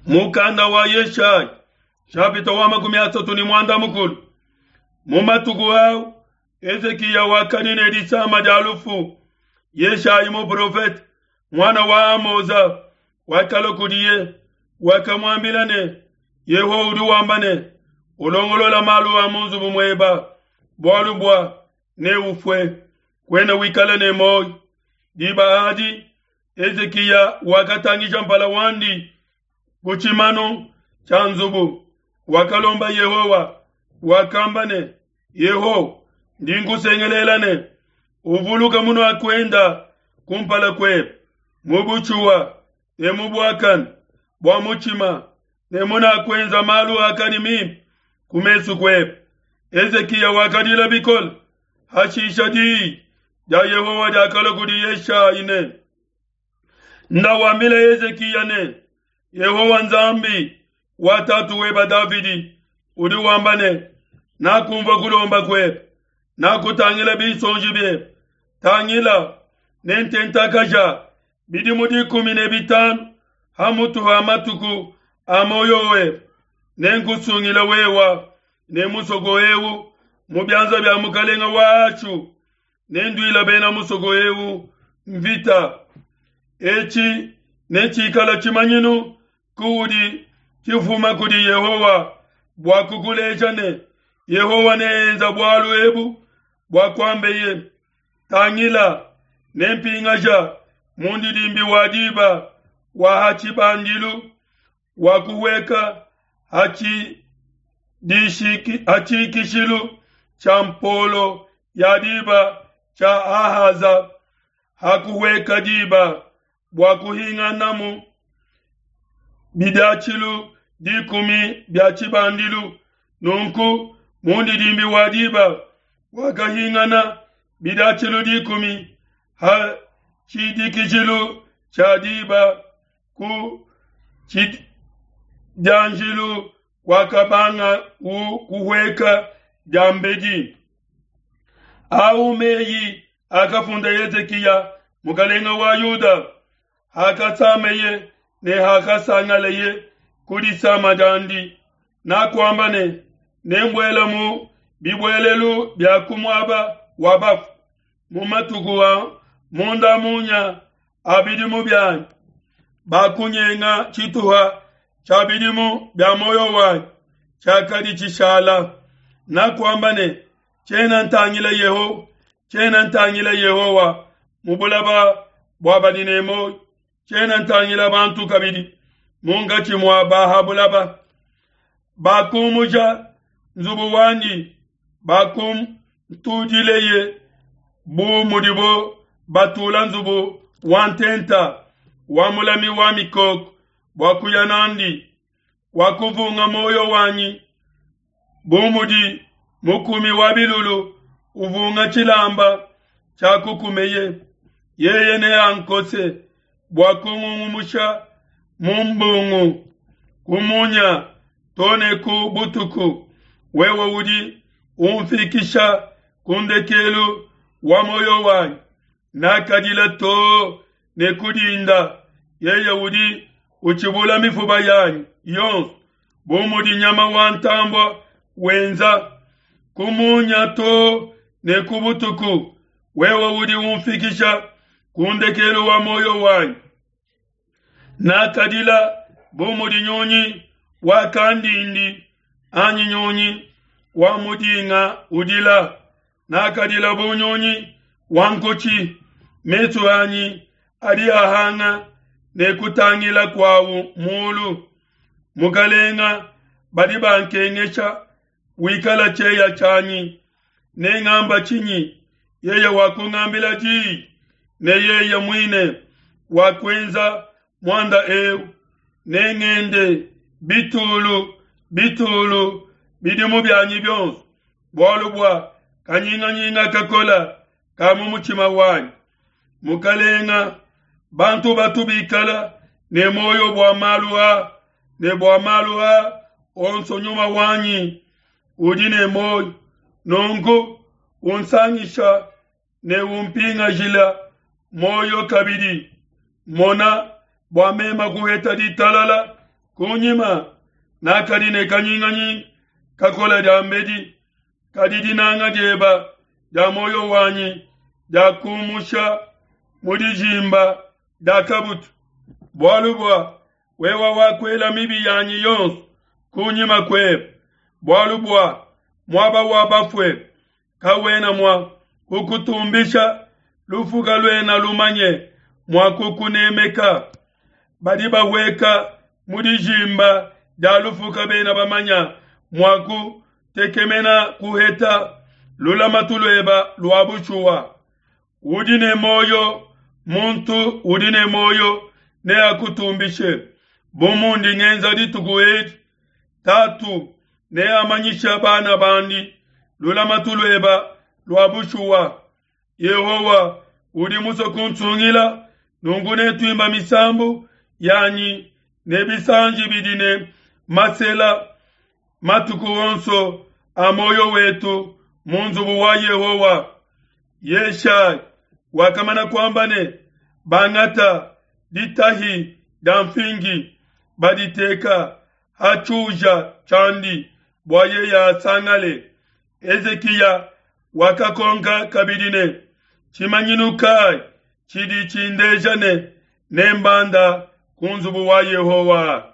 Mukanda wa Yeshaya shapita wa 31. Mu matuku au Hezikiya wakadi ne disama dia lufu. Yeshayi muprofete muana wa Amoza wakalua kudiye, wakamuambila ne, Yehowa udi wamba ne, Ulongolola malu a mu nzubu mueba, bualu bua neufue, kuena wikala ne muoyo. Diba adi Hezikiya wakatangija mpala wandi ku tshimanu tshia nzubu, wakalomba Yehowa, wakamba ne, Yehowa, ndi nkusengelela ne, uvuluke munuakuenda kumpala kuebe mu butshuwa ne mu buakane bua mutshima ne munakuenza malu akadi mimpe ku mesu kuebe. Hezikiya wakadila bikole. Hashisha diyi dia Yehowa diakalua kudi Yeshayi ne, Nda wambila Hezikiya ne, Yehowa Nzambi wa tatu weba Davidi udi wamba ne, Nakumvua kulomba kuebe, nakutangila binsonji biebe. Tangila, nententakaja bidimu 15 ha mutu ha matuku a muoyo webe, nenkusungila wewa ne musoko eu mu bianza bia mukalenga wa Ashu, nenduila bena musoko eu mvita. Etshi netshikala tshimanyinu kuudi tshifuma kudi Yehowa bua kukuleja ne, Yehowa neenza bualu ebu bua kuambeye. Tangila, nempingaja mundidimbi wa diba wa ha tshibandilu wa kuhueka ha tshikishilu tshia mpolo ya diba tshia Ahaza, ha kuhueka diba bua kuhinganamu bidiatshilu 10 bia tshibandilu. Nunku mundidimbi wa diba wakahingana bidiatshilu 10 ha tshidikijilu tshia diba ku tshidianjilu kwakabanga kuhueka diambedi. Au meyi akafunda Hezikiya mukalenga wa Yuda hakasameye ne hakasangaleye ku disama diandi, nakuamba ne, Nembuela mu bibuelelu bia ku muaba wa bafu mu matuku a munda munya a bidimu bianyi. Bakunyenga tshituha tshia bidimu bia muoyo wanyi tshiakadi tshishala. Nakuamba ne, Tshiena ntangila Yehowa, tshiena ntangila Yehowa mu bulaba bua badi ne muoyo, tshiena ntangila bantu kabidi munkatshi mua ba ha bulaba. Bakumuja nzubu wandi, bakumtudileye bu mudibo batula nzubu wa ntenta wa mulami wa mikoko bua kuya nandi. Wakuvunga muoyo wanyi bu mudi mukumi wa bilulu uvunga tshilamba tshia kukumeye. Yeye neankose bua kungungumusha mu mbungu ku munya to ne ku butuku. Wewe udi umfikisha ku ndekelu wa muoyo wanyi. Nakadila too ne ku dinda. Yeye udi utshibula mifuba yanyi yonso bu mudi nyama wa ntambua wenza. Ku munya too ne ku butuku, wewe udi umfikisha ku ndekelu wa muoyo wanyi. Nakadila bu mudi nyunyi wa kandindi anyi nyunyi wa mudinga udila. Nakadila bu nyunyi wa nkutshi. Mesu anyi adi ahanga ne kutangila kuawu mulu. Mukalenga, badi bankengesha, wikala tshieya tshianyi. Nengamba tshinyi? Yeye wakungambila diyi, ne yeye muine wakuenza muanda eu. Nengende bitulu bitulu bidimu bianyi bionso, bualu bua kanyinganyinga kakola ka mu mutshima wanyi. Mukalenga, bantu batu bikala ne muoyo bua malu a, ne bua malu a onso nyuma wanyi udi ne muoyo. Nunku unsangisha ne umpingajila muoyo kabidi. Mona, bua mema kuheta ditalala. Kunyima nakadi ne kanyinganyinga kakola diambedi, kadi dinanga dieba dia muoyo wanyi diakumusha mu dijimba dia kabutu, bualu bua wewa wakuela mibi yanyi yonso kunyima kuebe, bualu bua muaba wa bafue kawena mua kukutumbisha, lufu kaluena lumanye mua kukunemeka. Badi bahueka mu dijimba dia lufu kabena bamanya mua kutekemena kuheta lulamatu lueba lua bushuwa. Udi ne muoyo, muntu udi ne muoyo neakutumbishe, bu mundi ngenza dituku edi. Tatu neamanyisha bana bandi lulamatu lueba lua bushuwa. Yehowa udi musue kunsungila, nunku netuimba misambu yanyi ne bisanji bidi ne masela matuku onso a muoyo wetu mu nzubu wa Yehowa. Yeshaya wakamana kuamba ne, Bangata ditahi dia mfingi, baditeka ha tshiuja tshiandi bua yeye asangale. Hezikiya wakakonka kabidi ne, Tshimanyinu kai tshidi tshindeja ne nembanda ku nzubu wa Yehowa?